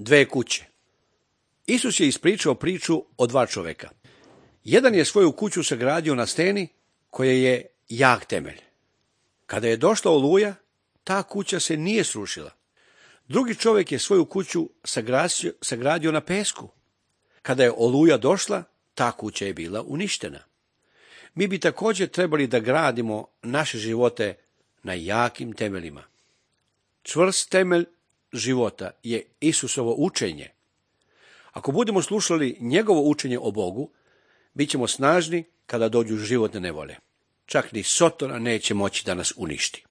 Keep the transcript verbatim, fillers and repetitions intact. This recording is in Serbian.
dve kuće. Isus je ispričao priču o dva čoveka. Jedan je svoju kuću sagradio na steni koja je jak temelj. Kada je došla oluja, ta kuća se nije srušila. Drugi čovjek je svoju kuću sagradio, sagradio na pesku. Kada je oluja došla, ta kuća je bila uništena. Mi bi također trebali da gradimo naše živote na jakim temeljima. Čvrst temelj života je Isusovo učenje. Ako budemo slušali njegovo učenje o Bogu, bit ćemo snažni kada dođu životne nevolje. Čak ni Sotona neće moći da nas uništi.